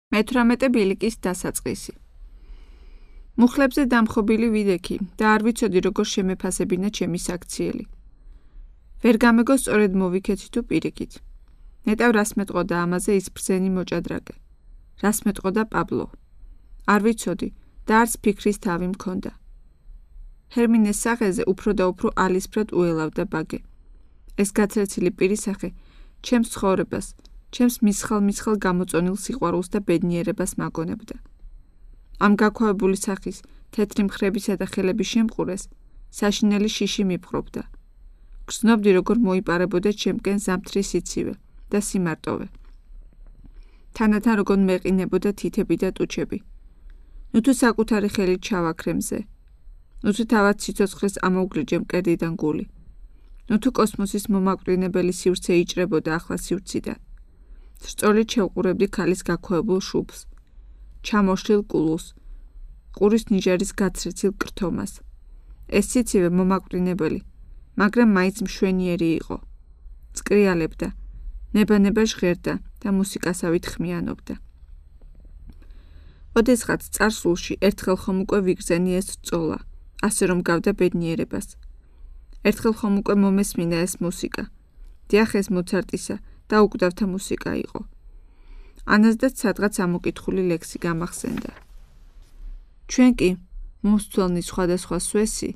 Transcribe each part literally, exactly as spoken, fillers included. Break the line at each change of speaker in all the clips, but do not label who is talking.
მეთვრამეტე ბილიკის დასაწყისი. მუხლებზე დამხობილი ვიდექი და არ ვიცოდი როგორ შემეფასებინა ჩემი საქციელი. ვერ გამეგო სწორედ მოვიქეცი თუ პირიქით. ნეტავ რას მეტყოდა ამაზე ის ბრძენი მოჭადრაკე. რას მეტყოდა პაბლო. არ ვიცოდი და არც ფიქრის თავი მქონდა. ჰერმინეს სახეზე უფრო და უფრო ალისფრად უელავდა ბაგე. ეს გაცრეცილი პირისახე ჩემს ცხოვრებას, ჩემს მისხალ-მისხალ გამოწონილ სიყვარულს და ბედნიერებას მაგონებდა. ამ გაქვავებული სახის თეთრი მხრებისა და ხელების შემყურეს საშინელი შიში მიფხრობდა. გრძნობდი როგორ მოიპარებოდა ჩემკენ ზამთრის სიცივე და სიმარტოვე. თანათან როგორ მეყინებოდა თითები და ტუჩები. ნუ თუ საკუთარი ხელით ჩავაქრე მზე. ნუ თუ თავად სიცოცხლეს ამოვგრიჯე მკერდიდან გული. ნუ თუ კოსმოსის მომაკვდინებელი სივრცე იჭრებოდა ახლა სივრციდან. სწორედ შევყურებდი ქალის გაქვავებულ შუბლს, ჩამოშლილ კულუს, ყურის ნიჟარის გაცრეცილ კრთომას. ეს სიცივე მომაკვდინებელი, მაგრამ მაინც მშვენიერი იყო. წკრიალებდა, ნება-ნება ჟღერდა და მუსიკასავით ხმიანობდა. ოდესღაც წარსულში ერთხელ ხომ უკვე ვიგრძენი ეს სწოლა, ასე რომ გავდა ბედნიერებას. ერთხელ ხომ უკვე მომესმინა ეს მუსიკა, დიახ ეს მოცარტისა და უკვდავთა მუსიკა იყო. ანაზდაც სადღაც ამოკითხული ლექსი გამახსენდა. ჩვენ კი, მოსწველნი სხვადასხვა სვესი,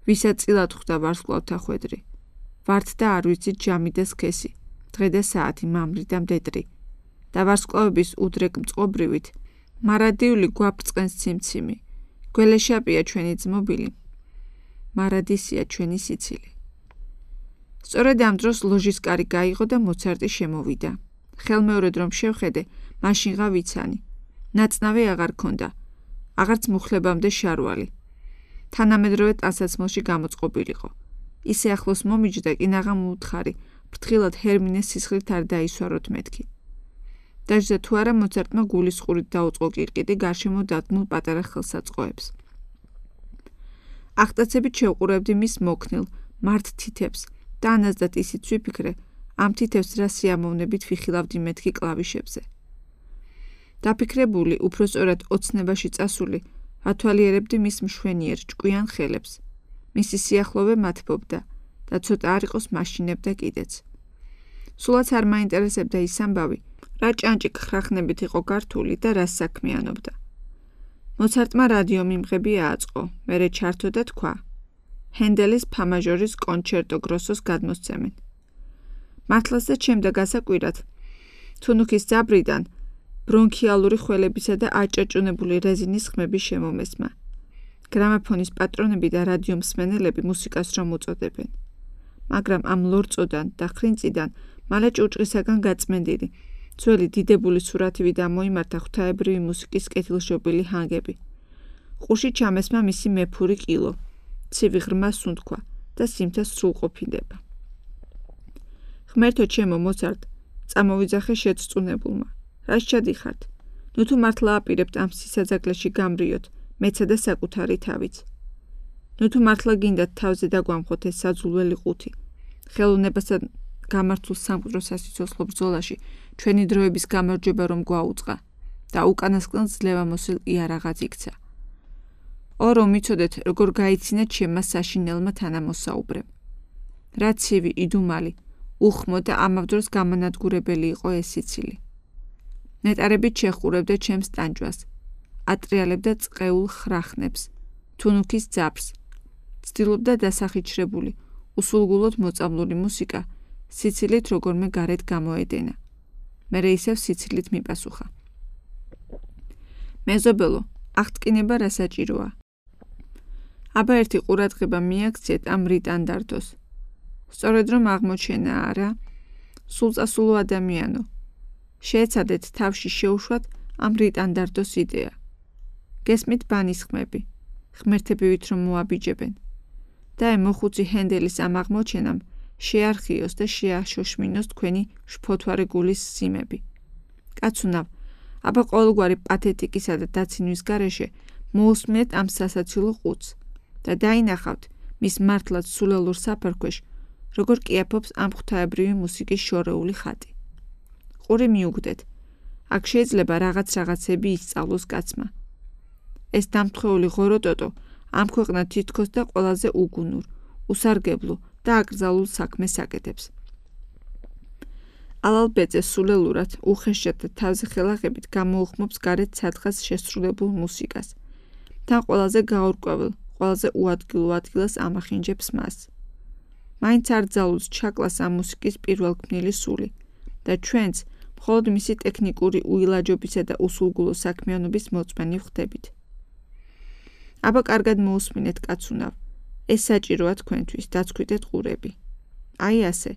ვისაც წილად ხვდა ვარსკვლავთა ხვედრი, ვართ და არ ვიცით ჯამი და სქესი, დღე და საათი მამრი და მდედრი, და ვარსკვლავების უდრეკ მწყობრივით, მარადიული გვაფრწყენს ციმციმი, გველეშაპია ჩვენი ძმობილი, მარადისია ჩვენი სიცილი. სწორედ ამ დროს ლოჟის კარი გაიღო და მოცარტი შემოვიდა. ხელმეორედ რომ შევხედე, მაშინღა ვიცანი. ნაწნავი აღარ ქონდა, აღარც მუხლებამდე შარვალი. თანამედროვე ტანსაცმელში გამოწყობილიყო. ისე ახლოს მომიჯდა კი ნაღა მოუთხარი, ფრთხილად ჰერმინეს სისხლით არ დაისვაროთ მეთქი. დაჯდა თუ არა მოცარტმა გულისყურით დაუწყო კირკიტი გარშემო დადგმულ პატარა ხელსაწყოებს. აღტაცებით შევყურებდი მის მოქნილ, მართ თითებს და ანაზდათ ისიც ვიფიქრე, ამ თითებს რა სიამოვნებით ვიხილავდი მეთქი კლავიშებზე. დაფიქრებული, უფრო სწორად ოცნებაში წასული, ათვალიერებდი მის მშვენიერ ჭკვიან ხელებს. მისი სიახლოვე მათბობდა და ცოტა არ იყოს მაშინებდა კიდეც. სულაც არ მაინტერესებდა ის ამბავი, რა ჭანჭიქ ხრახნებით იყო გართული და რას საქმიანობდა. მოცარტმა რადიო მიმღები ააწყო, მერე ჩართო და თქვა: ჰენდელის ფა მაჟორის კონჩერტო გროსოს გადმოსცემენ. მართლაც და ჩემდა გასაკვირად, თუნუქის ძაბრიდან ბრონქიალური ხველებისა და აჭაჭუნებული რეზინის ხმები შემომესმა. გრამაფონის პატრონები და რადიო მსმენელები მუსიკას რომ უწოდებენ. მაგრამ ამ ლორწოდან და ხრინწიდან მალე ჭურჭღისაგან გაწმენდილი, ძველი დიდებული სურათივი დამოიმართა ღვთაებრივი მუსიკის კეთილშობილი ჰანგები. ყუში ჩამესმა მისი მეფური კილო, ცივი ღრმა სუნთქვა და სიმთა სრულყოფილება. ღმერთო ჩემო მოცარტ, წამოვიძახე შეწწუნებულმა. რას ჩადიხართ? ნუ თუ მართლა აპირებთ ამ სისაძაგლეში გამრიოთ, მეცა და საკუთარი თავიც. ნუ თუ მართლა გინდათ თავზე დაგვამხოთ ეს საძულველი ყუთი. ხელოვნებასთან გამართულ სამკვდრო სასიცოცხლო ბრძოლაში ჩვენი დროების გამარჯვება რომ გვაუწყა და უკანასკნელ ძლევა მოსილ იარაღად იქცა. ო რომ მიცოდეთ, როგორ გაიცინეთ ჩემმა საშინელმა თანამოსაუბრემ. რა ცივი, იდუმალი, უხმო და ამავდროს გამანადგურებელი იყო ეს სიცილი. ნეტარებით შეხურებდა ჩემს ტანჯვას, ატრიალებდა წყეულ ხრახნებს, თუნუქის ძაბრს, ცდილობდა დასახიჩრებული, უსულგულოდ მოწამლული მუსიკა, სიცილით როგორმე გარეთ გამოედენა. მერე ისევ სიცილით მიპასუხა. მეზობელო, აღტკინება რა საჭიროა? აბა ერთი ყურადღება მიაქციეთ ამ რიტანდარტოს. სწორედ რომ აღმოჩენა არა, სულწასულო ადამიანო. შეეცადეთ თავში შეუშვათ ამ რიტანდარტოს იდეა. გესმით ბანის ხმები, ღმერთებივით რომ მოაბიჯებენ. და მოხუცი ჰენდელის ამ აღმოჩენამ შეარხიოს და შეაშოშმინოს თქვენი შფოთვარე გულის სიმები. კაცუნავ, აბა ყოველგვარი პათეტიკისა და დაცინვის გარეშე მოусმენთ ამ სასაცილო ყუთს და დაინახავთ მის მართლაც სულელურ საფარქვეშ, როგორ კიაფობს ამ ღვთაებრივი მუსიკის შორეული ხატი. ყური მიუგდეთ, აქ შეიძლება რაღაც რაღაცები ისწავლოს კაცმა. ეს დამთხეული ღორო ტოტო ამ ქვეყნად თითქოს და ყველაზე უგუნურ, უსარგებლო და აკრძალულ საქმეს აკეთებს. ალალბეძე სულელურად, უხეშად და თავზე ხელაღებით გამოუხმობს გარეთ სათხას შესრულებულ მუსიკას. თან ყველაზე გაურკვეველ, ყველაზე უადგილო ადგილას ამახინჯებს მას. მაინც არ ძალუძს ჩაკლას ამ მუსიკის პირველქმნილი სული და ჩვენც მხოლოდ მისი ტექნიკური უილაჯობისა და უსულგულო საქმიანობის მოწმენი ვხდებით. აბა კარგად მოусმინეთ კაცუნავ, ეს საჭიროა თქვენთვის, დაცქვიტეთ ყურები. აი ასე,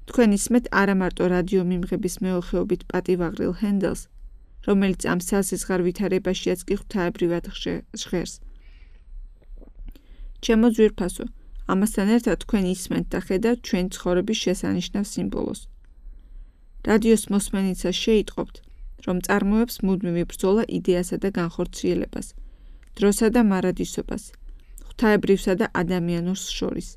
თქვენ ისმეთ არა მარტო რადიო მიმღების მეოხეობით პატივაღრილ ჰენდელს, რომელიც ამ სასიზღარ ვითარებაშიაც კი ღვთაებრივად ჟღერს. ჩემო ძვირფასო, ამასთან ერთად თქვენ ისმენთ და ხედავთ ჩვენი ცხოვრების შესანიშნავ სიმბოლოს. რადიოს მოსმენიცას შეიტყობთ, რომ წარმოებს მუდმივი ბრძოლა იდეასა და განხორციელებას, დროსა და მარადისობას, ღვთაებრივსა და ადამიანურს შორის.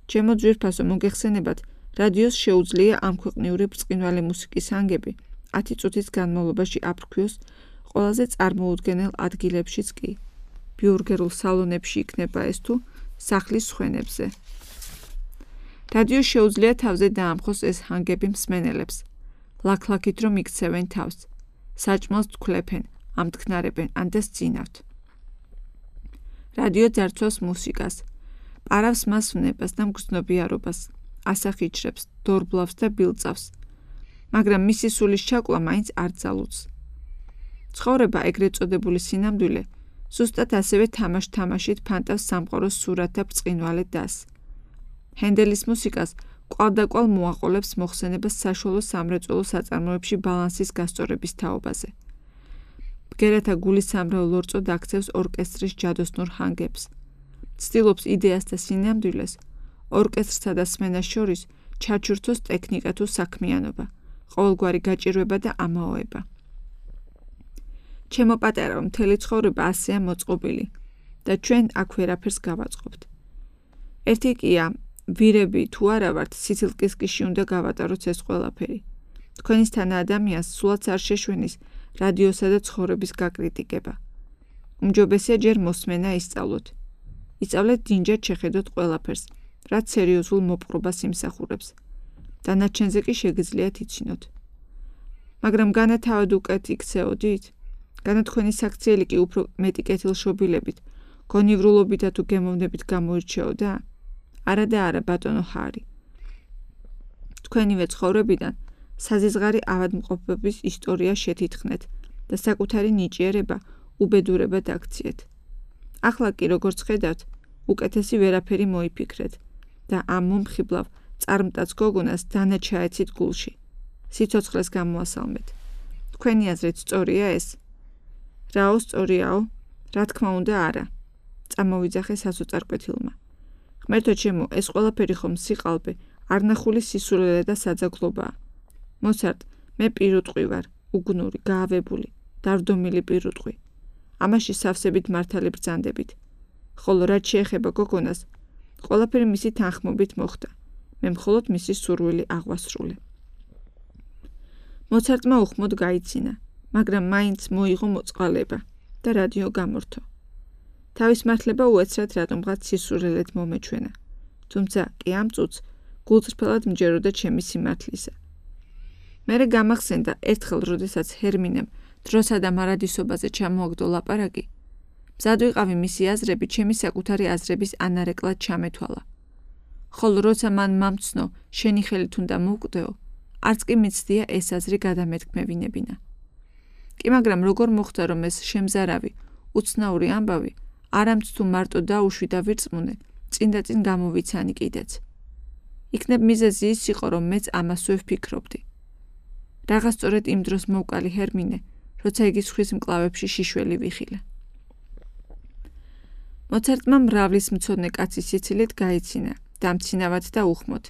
ჩემო ძვირფასო, მოგეხსენებათ, რადიოს შეუძლია ამ ქვეყნიური ბრწყინვალე მუსიკის ანგები ათი წუთის განმავლობაში აფრქვიოს ყველაზე წარმოუდგენელ ადგილებშიც კი. ბიურგერულ სალონებში იქნება ეს თუ სახლის სხვენებზე. რადიოს შეუძლია თავზე დაამხოს ეს ჰანგები მსმენელებს, ლაქლაქით რომ იქცევენ თავს, საჭმელს თქლეფენ, ამთქნარებენ, ან და სძინავთ. რადიო ძარცვავს მუსიკას, პარავს მას ვნებას და მგრძნობიარობას, ასახიჩრებს, დორბლავს და ბილწავს, მაგრამ მისი სულის ჩაკლა მაინც არ ძალუძს. ცხოვრება ეგრეთ წოდებული სინამდვილე ზუსტად ასევე თამაშ-თამაშით ფანტავს სამყაროს სურათ და ბრწყინვალე დასს. ჰენდელის მუსიკას კვალდაკვალ მოაყოლებს მოხსენებას საშუალო სამრეწველო საწარმოებში ბალანსის გასწორების თაობაზე. ბგერათა გულისამრავ ლორწოდ აქცევს ორკესტრის ჯადოსნურ ჰანგებს. ცდილობს იდეას და სინამდვილეს, ორკესტრსა და სმენას შორის ჩაჩურთოს ტექნიკა თუ საქმიანობა, ყოველგვარი გაჭირვება და ამაოება. ჩემო პატარავ, მთელი ცხოვრება ასეა მოწყობილი და ჩვენ აქ ვერაფერს გავაწყობთ. ერთი კია, ვირები თუ არა ვართ, სიცილკისკიში უნდა გავატაროთ ეს ყველაფერი. თქვენისთანა ადამიანს სულაც არ შეშვენის რადიოსა და ცხოვრების გაკრიტიკება. უმჯობესია ჯერ მოსმენა ისწავლოთ. ისწავლეთ დინჯად შეხედოთ ყველაფერს, რაც სერიოზულ მოპყრობას იმსახურებს. დანარჩენზე კი შეგიძლიათ იცინოთ. მაგრამ განა თავად უკეთ იქცეოდით? განა თქვენი საქციელი კი უფრო მეტი კეთილშობილებით, გონივრულობითა თუ გემოვნებით გამოირჩეოდა? არა და არა, ბატონო ჰარი. თქვენივე ცხოვრებიდან საზიზღარი ავადმყოფობის ისტორია შეთითხნეთ და საკუთარი ნიჭიერება უბედურებად აქციეთ. ახლა კი როგორც ხედავთ, უკეთესი ვერაფერი მოიფიქრეთ და ამ მომხიბლავ წარმტაც გოგონას დანა ჩაეცით გულში. სიცოცხლეს გამოასალმეთ. თქვენი აზრით სწორია ეს? რაო სწორიაო? რა თქმა უნდა არა. წამოვიძახე სასოწარკვეთილმა. ღმერთო ჩემო, ეს ყველაფერი ხომ სიყალბე, არნახული სისულელე და საძაგლობაა. მოცარტ, მე პირუტყვი ვარ, უგნური, გაავებული, დავდომილი პირუტყვი. ამაში სავსებით მართალი ბრძანდებით. ხოლო რაც შეეხება გოგონას, ყველაფერი მისი თანხმობით მოხდა. მე მხოლოდ მისი სურვილი აღვასრულე. მოცარტმა უხმოდ გაიცინა, მაგრამ მაინც მოიღო მოწყალება და რადიო გამორთო. თავის მართლება უეცრად რატომღაც სისურელეთ მომეჩვენა, თუმცა კი ამ წუთს გულწრფელად მჯეროდა ჩემი სიმართლისა. მერე გამახსენდა ერთხელ, როდესაც ჰერმინემ დროსა და მარადისობაზე ჩამოაგდო ლაპარაკი, მზად ვიყავი მისი აზრები ჩემი საკუთარი აზრების ანარეკლად ჩამეთვალა. ხოლო როცა მან მამცნო, შენი ხელით უნდა მოვკვდეო, არც კი მიცდია ეს აზრი გადამეთქმევინებინა. კი მაგრამ როგორ მოხდა, რომ ეს შემზარავი, უცნაური ამბავი, არამც თუ მარტო დაუშვი და ვირწმუნე, წინ და წინ გამოვიცანი კიდეც. იქნებ მიზეზი ის იყო, რომ მეც ამასვე ვფიქრობდი. რაღა სწორედ იმ დროს მოვკალი ჰერმინე, როცა იგი სხვის მკლავებში შიშველი ვიხილა. მოცარტმა მრავლის მცოდნე კაცის სიცილით გაიცინა, დამცინავად და უხმოდ.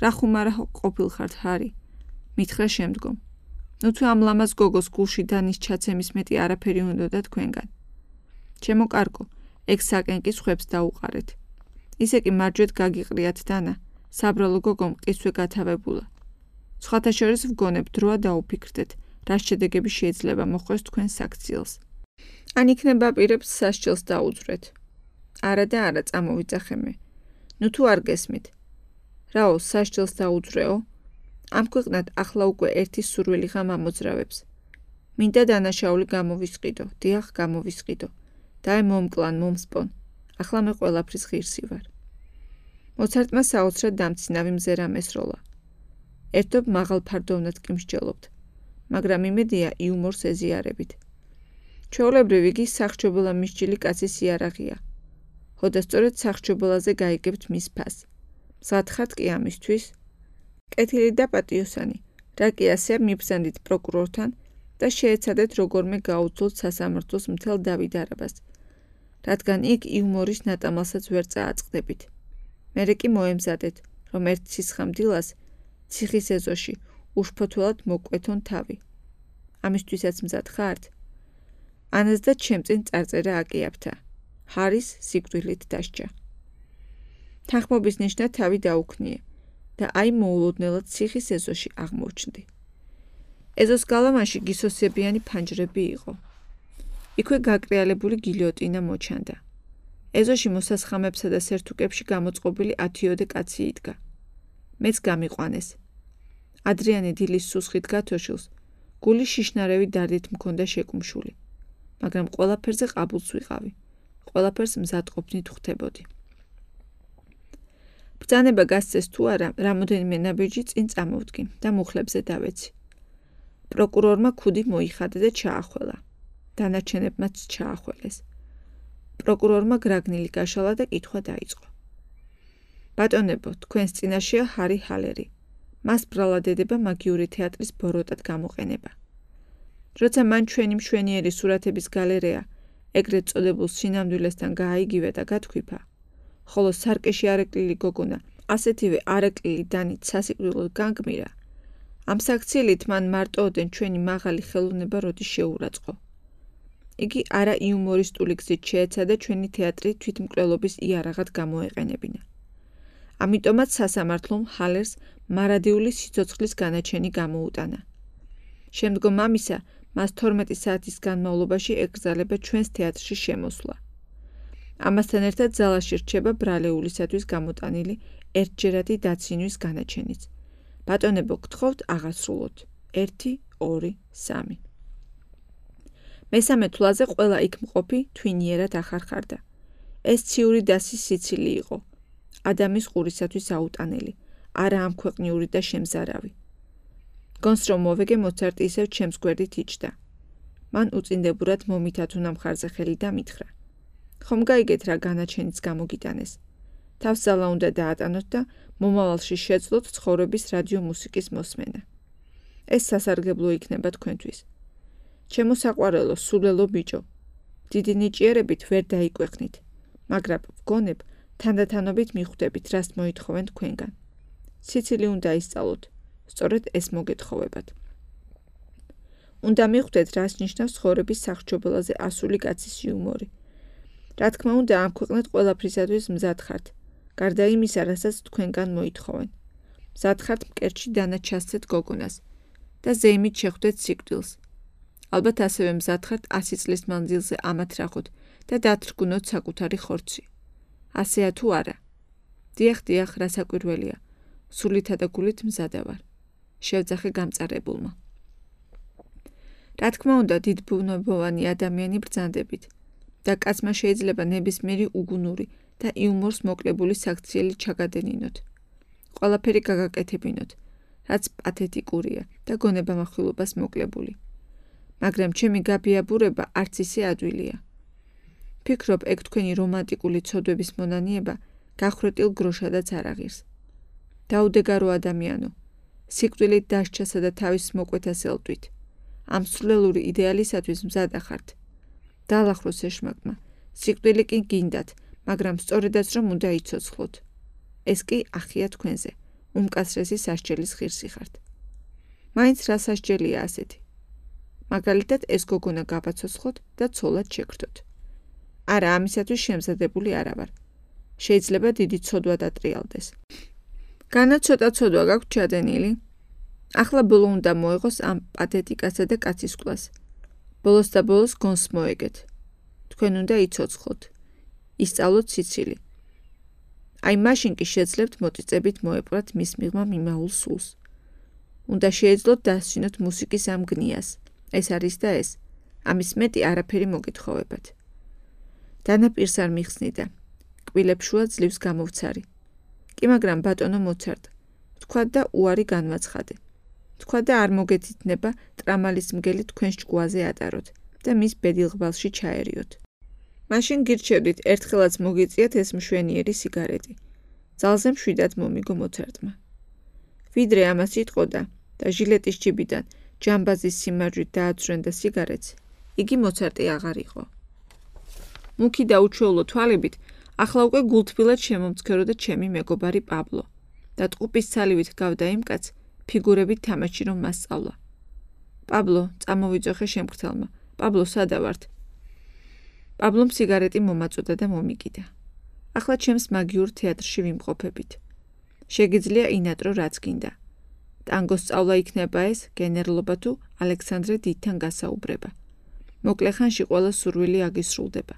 რა ხუმარა ყოფილხართ, ჰარი? მითხრა შემდგომ. ნუ თუ ამ ლამაზ გოგოს გულში დანის ჩაცემის მეტი არაფერი უნდოდა თქვენგან. ჩემო კარგო, ეგ საკენკის ხვებს დაუყარეთ. ისე კი მარჯვედ გაგიყრიათ დანა, საბრალო გოგო მყისვე გათავებულა. სხვათა შორის ვგონებ დროა დაუფიქრდეთ, რას შედეგები შეიძლება მოხვდეს თქვენს საქციელს. ან იქნება პირებს სასჯელს დაუძვრეთ. არა და არა წამოვიძახე მე. ნუ თუ არ გესმით. რაო, სასჯელს დაუძვრეო? ამ ქვეყნად ახლა უკვე ერთი სურვილი ღამ ამოძრავებს. მინდა დანაშაული გამოვისყიდო, დიახ გამოვისყიდო. დაე მომკლან, მომსპონ. ახლა მე ყველაფრის ღირსი ვარ. მოცარტმა საოცრად დამცინავი მზერა მესროლა. ერთობ მაღალ ფარდოვნად კი მსჯელობთ, მაგრამ იმედია იუმორს ეზიარებით. ჩვეულებრივ იგი სახჭობელა მისჯილი კაცის იარაღია. ხოდა სწორედ სახჭობელაზე გაიგებთ მის ფასს. მზად ხართ კი ამისთვის? კეთილი და პატიოსანი, რა კი ასე მიბრძანდით პროკურორთან და შეეცადეთ როგორმე გაუძლოთ სასამართლოს მთელ დავით-არაბას, რადგან იქ იუმორის ნატამალსაც ვერ წააწყდებით. მერე კი მოემზადეთ, რომ ერთ სისხამდილას ციხის ეზოში უშფოთველად მოკვეთონ თავი. ამისთვისაც მზად ხართ? ანას და ჩემ წინ წარწერა აკიაფთა. ჰარის სიკვდილით დასჯა. თანხმობის ნიშნად თავი დაუქნიე და აი მოულოდნელად ციხის ეზოში აღმოჩნდი. ეზოს გალავანში გისოსებიანი ფანჯრები იყო. იქვე გაკრიალებული გილიოტინა მოჩანდა. ეზოში მოსასხამებსა და სერთუკებში გამოწყობილი ათიოდე კაცი იდგა. მეც გამიყვანეს. ადრიანი დილის სუსხით გათოშილს გული შიშნარევი დარდით მქონდა შეკუმშული, მაგრამ ყველაფერზე ყაბულს ვიყავი. ყველაფერს მზადყოფნით ვხვდებოდი. ბრძანება გასცეს თუ არა, რამოდენიმე ნაბიჯი წინ წამოვდგი და მუხლებზე დავეცი. პროკურორმა ქუდი მოიხადა და ჩაახველა. დანარჩენებმაც ჩაახველეს. პროკურორმა გრაგნილი გაშალა და კითხვა დაიწყო. ბატონებო, თქვენს წინაშეა ჰარი ჰალერი. მას ბრალად ედება მაგიური თეატრის ბოროტად გამოყენება. როცა მან ჩვენი მშვენიერი სურათების გალერეა ეგრეთ წოდებულ სინამდვილესთან გააიგივე და გათქვიფა, ხოლო სარკეში არეკლილი გოგონა ასეთივე არეკლილი დანით სასიკვდილოდ განგმირა, ამ საქციელით მან მარტოოდენ ჩვენი მაღალი ხელოვნება როდის შეურაცხო. იგი არა იუმორისტული გზით შეეცადა ჩვენი თეატრი თვითმკვლელობის იარაღად გამოეყენებინა. ამიტომაც სასამართლომ ჰალერს მარადიული სიცოცხლის განაჩენი გამოუტანა. შემდგომ ამისა მას თორმეტი საათის განმავლობაში ეკრძალება ჩვენს თეატრში შემოსვლა. ამასთან ერთად ზალაში რჩება ბრალეულისათვის გამოტანილი ერთჯერადი დაცინვის განაჩენიც. ბატონებო, გთხოვთ აღასრულოთ. ერთი, ორი, სამი. მესამე თვლაზე ყველა იქ მყოფი თვინიერად ახარხარდა. ეს ციური დასის სიცილი იყო. ადამის ყურისათვის აუტანელი, არა ამქვეყნიური და შემზარავი. გონს რომ მოვეგე მოცარტი ისევ ჩემს გვერდით იჯდა. მან უწინდებურად მომითათუნა მხარზე ხელი და მითხრა. ხომ გაიგეთ რა განაჩენიც გამოგიტანეს. თავს ზალა უნდა დაატანოთ და მომავალში შეძლოთ ცხოვრების რადიო მუსიკის მოსმენა. ეს სასარგებლო იქნება თქვენთვის. ჩემო საყვარელო, სულელო ბიჭო, დიდი ნიჭიერებით ვერ დაიკვეხნით, მაგრამ ვგონებ თანდათანობით მიხვდებით, რას მოითხოვენ თქვენგან. სიცილი უნდა ისწავლოთ, სწორედ ეს მოგეთხოვებათ. უნდა მიხვდეთ, რას ნიშნავს ცხოვრების სახჭობელაზე ასული კაცის იუმორი. რა თქმა უნდა, ამ ქვეყნად ყველაფრისათვის მზად ხართ, გარდა იმისა, რასაც თქვენგან მოითხოვენ. მზად ხართ მკერდში დანაჩასცეთ გოგონას და ზეიმით შეხვდეთ სიკვდილს. ალბათ ასევე მზად ხართ ასი წლის მანძილზე ამათრახოთ და დათრგუნოთ საკუთარი ხორცი. ასეა თუ არა? დიახ, დიახ, რასაკვირველია. სულითა და გულით მზადა ვარ. შევძახე გამწარებულმა. რა თქმა უნდა, დიდბუნებოვანი ადამიანი ბრძანდებით და კაცმა შეიძლება ნებისმიერი უგუნური და იუმორს მოკლებული საქციელი ჩაგადენინოთ. ყველაფერი გაგაკეთებინოთ, რაც პათეტიკურია და გონებამახვილობას მოკლებული. მაგრამ ჩემი გაბიაბურება არც ისე ადვილია. ფიქრობ, ეგ თქვენი რომანტიკული ცოდვების მონანიება გახრეტილ გროშადაც არ აღირს. დაუდეგარო ადამიანო, სიკვდილით დასჯასა და თავის მოკვეთას ელტვით. ამ სულელური იდეალისათვის მზად ახართ. დაალახროს ეშმაკმა, სიკვდილი კი გინდათ, მაგრამ სწორედაც რომ უნდა იცოცხლოთ. ეს კი ახია თქვენზე, უმკაცრესი სასჯელის ღირსი ხართ. მაინც რა სასჯელია ასეთი? მაგალითად ეს გოგონა გავაცოცხლოთ და ცოლად შეგრდოთ. არა, ამისათვის შემზადებული არა ვარ. შეიძლება დიდი ცოდვა დატრიალდეს. განა ცოტა ცოდვა გაქვთ ჩადენილი? ახლა ბოლო უნდა მოეღოს ამ პათეტიკასა და კაცისკვლას. ბოლოს და ბოლოს გონს მოეგეთ. თქვენ უნდა იცოცხლოთ. ისწავლოთ სიცილი. აი მაშინ კი შეძლებთ მოწიწებით მოეპყრათ მის მიღმა მიმაულ სულს. უნდა შეეძლოთ დასჩინოთ მუსიკის ამ გნიას. ეს არის და ეს. ამის მეტი არაფერი მოგეთხოვებათ. დანაპირს არ მიხსნიდა. კბილებს შუა ძლივს გამოვცარი. კი მაგრამ ბატონო მოცარტ, თქვა და უარი განვაცხადე. თქვა და არ მოგეთითნება ტრამალის მგელი თქვენს ჭკუაზე ატაროთ და მის ბედილღვალში ჩაერიოთ. მაშინ გირჩევდით ერთხელაც მოგიწიათ ეს მშვენიერი სიგარეტი. ძალზე მშვიდად მომიგო მოცარტმა. ვიდრე ამას იტყოდა და ჟილეტის ჯიბიდან ჯამბაზის სიმარჯვით დააწვრენდა სიგარეტს, იგი მოცარტი აღარ იყო. მუქი და უჩვეულო თვალებით ახლა უკვე გულთბილად შემომცქეროდა ჩემი მეგობარი პაბლო და ტყუპის ცალივით ჰგავდა იმ კაცს ფიგურებით თამაში რომ მასწავლა. პაბლო, წამოვიძოხე შემგრთელმა. პაბლო, სადა ვართ? პაბლომ სიგარეტი მომაწოდა და მომიგიდა. ახლა ჩემს მაგიურ თეატრში ვიმყოფებით. შეგიძლია ინატრო რაც გინდა. ტანგოს სწავლა იქნება ეს გენერლობა თუ ალექსანდრე დიდთან გასაუბრება. მოკლე ხანში ყველა სურვილი აგისრულდება.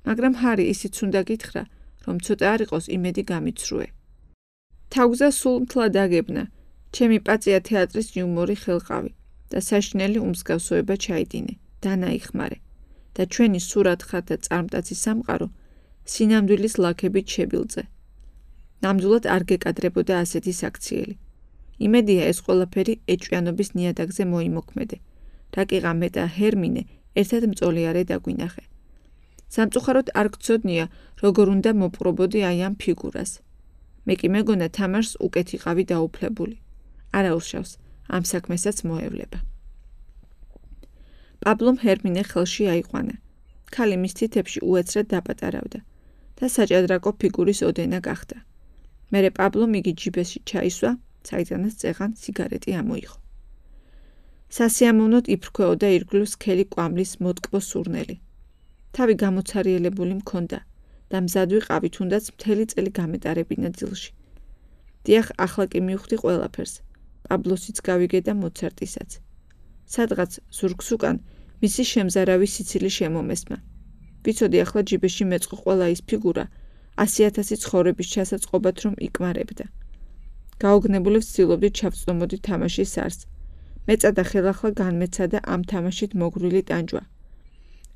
მაგრამ ჰარი ისიც უნდა გითხრა, რომ ცოტა არ იყოს იმედი გამიცრუე. თავგზა სულ მთლად აგებნა, ჩემი პაწია თეატრის იუმორი ხელყავი და საშინელი უმსგავსოება ჩაიდინე, დანაიხმარე და ჩვენი სურათხად და წარმტაცი სამყარო სინამდვილის ლაქებით შებილწე. ნამდვილად არ გეკადრებოდა ასეთი საქციელი. იმედია ეს ყველაფერი ეჭვიანობის ნიადაგზე მოიმოქმედე, რა კი ღამე და ჰერმინე ერთად მწოლიარე დაგვინახე. სამწუხაროდ არ გცოდნია, როგორ უნდა მოპყრობოდი აი ამ ფიგურას. მე კი მეგონა თამაშს უკეთ იყავი დაუფლებული. არა უშავს, ამ საქმესაც მოევლება. პაბლომ ჰერმინე ხელში აიყვანა. ქალი მის თითებში უეცრად დაპატარავდა და საჭადრაკო ფიგურის ოდენა გახდა. მერე პაბლომ იგი ჯიბეში ჩაისვა, საიდანაც წეღან სიგარეტი ამოიღო. სასიამოვნოდ იფრქვეოდა ირგვლივ სქელი კვამლის მოტკბო სურნელი. თავი გამოცარიელებული მქონდა და მზად ვიყავი თუნდაც მთელი წელი გამეტარებინა ძილში. დიახ, ახლა კი მივხვდი ყველაფერს. პაბლოსიც გავიგე და მოცარტისაც. სადღაც ზურგს უკან მისი შემზარავი სიცილი შემომესმა. ვიცოდი ახლა ჯიბეში მეწყო ყველა ის ფიგურა, ასი ათასი ცხოვრების ჩასაწყობად რომ იკმარებდა. გაოგნებული ვცდილობდი ჩავწდომოდი თამაშის არსს. მეწადა ხელახლა განმეცადა ამ თამაშით მოგრული ტანჯვა.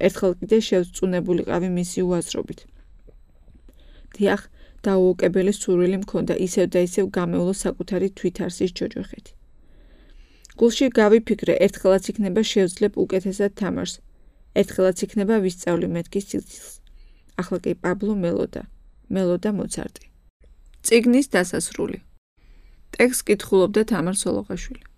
ერთხელ კიდე შევწუნებულიყავი მისი უაზრობით. დიახ, დაუოკებელი სურვილი მქონდა ისევ და ისევ გამეულო საკუთარი თვითარსის ჯოჯოხეთი. გულში გავიფიქრე, ერთხელაც იქნება შევძლებ უკეთესად თამაშს, ერთხელაც იქნება ვისწავლი მეთქი სიცილს. ახლა კი პაბლო მელოდა, მელოდა მოცარტი. წიგნის დასასრული. ტექსტს კითხულობდა თამარ სოლოყაშვილი.